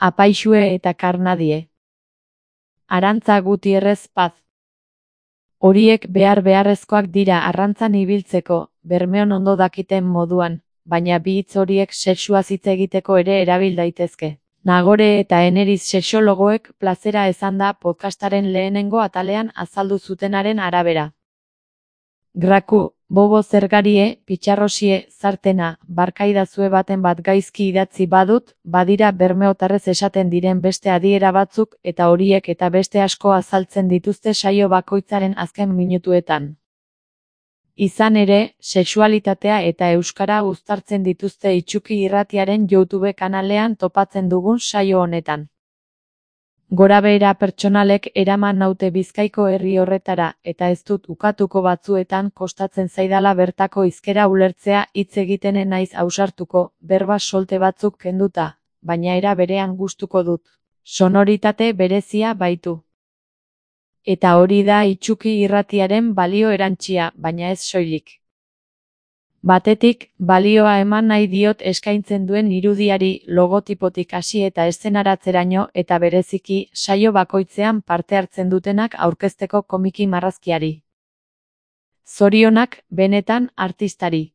Apaixue eta Karnadie. Arantza Gutierrez Paz. Horiek beharrezkoak dira arrantzan ibiltzeko, Bermeon ondo dakiten moduan, baina bi hitz horiek sexuaz hitz egiteko ere erabil daitezke. Nagore eta Eneriz sexologoek plazera esanda podcastaren lehenengo atalean azaldu zutenaren arabera. Graku, bobo zergarie, pitxarrosie, zartena, barkaidazue baten bat gaizki idatzi badut, badira bermeotarrez esaten diren beste adiera batzuk eta horiek eta beste asko azaltzen dituzte saio bakoitzaren azken minutuetan. Izan ere, sexualitatea eta euskara uztartzen dituzte Itsuki Irratiaren YouTube kanalean topatzen dugun saio honetan. Gorabehera pertsonalek eraman naute Bizkaiko herri horretara eta ez dut ukatuko batzuetan kostatzen zaidala bertako hizkera ulertzea hitz egitenen naiz ausartuko, berba solte batzuk kenduta, baina era berean gustuko dut. Sonoritate berezia baitu. Eta hori da Itsuki Irratiaren balio erantsia, baina ez soilik. Batetik, balioa eman nahi diot eskaintzen duen irudiari, logotipotik hasi eta eszenaratzeraino eta bereziki, saio bakoitzean parte hartzen dutenak aurkezteko komiki marrazkiari. Zorionak, benetan, artistari.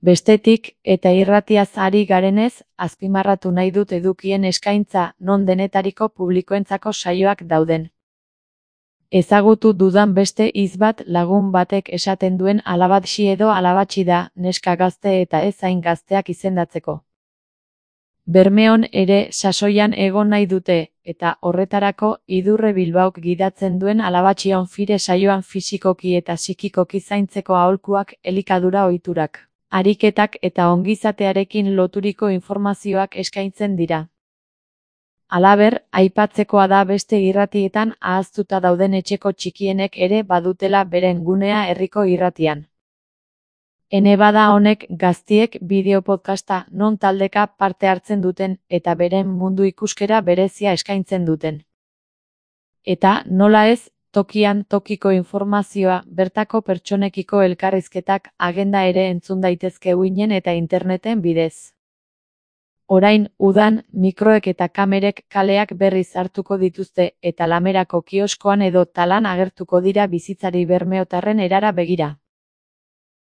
Bestetik, eta irratiaz ari garenez, azpimarratu nahi dut edukien eskaintza, non denetariko publikoentzako saioak dauden. Ezagutu dudan beste hitz bat lagun batek esaten duen alabatxi edo alabatxi da, neska gazte eta ez hain gazteak izendatzeko. Bermeon ere sasoian egon nahi dute, eta horretarako Idurre Bilbaok gidatzen duen alabatxion fire saioan fisikoki eta psikikoki zaintzeko aholkuak, elikadura ohiturak, ariketak eta ongizatearekin loturiko informazioak eskaintzen dira. Halaber, aipatzekoa da beste irratietan ahaztuta dauden etxeko txikienek ere badutela beren gunea herriko irratian. Ene bada honek gaztiek bideo-podcasta non taldeka parte hartzen duten eta beren mundu ikuskera berezia eskaintzen duten. Eta, nola ez, tokian tokiko informazioa, bertako pertsonekiko elkarrizketak, agenda ere entzun daitezke uinen eta interneten bidez. Orain, udan, mikroek eta kamerek kaleak berriz hartuko dituzte eta Lamerako kioskoan edo talan agertuko dira bizitzari bermeotarren erara begira.